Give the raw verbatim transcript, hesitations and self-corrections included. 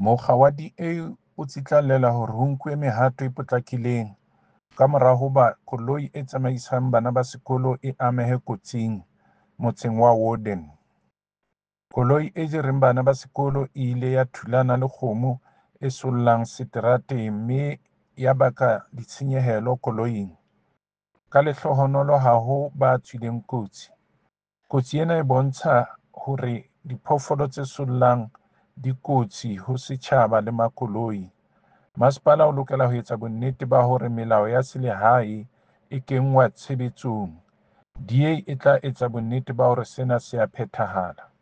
Mokga wa D A o tsitlallela hore ho nkuwe mehato e potlakileng kamora hoba koloi e tsamaisang bana ba sekolo e amehe kotsing motseng wa Woerden. Koloi e jereng bana ba sekolo e ile ya thulana le kgomo e sollang seterateng mme ya baka ditshenyehelo koloing, ka lehlohonolo ha ho ba tswileng kotsi. Kotsi ena e bontsha hore diphoofolo tse sollang di kotsi ho setjhaba le makoloi. Masepala o lokela ho etsa bonnete ba hore melao ya selehae e kenngwa tshebetsong. D A e tla etsa bonnete ba hore sena se a phethahala.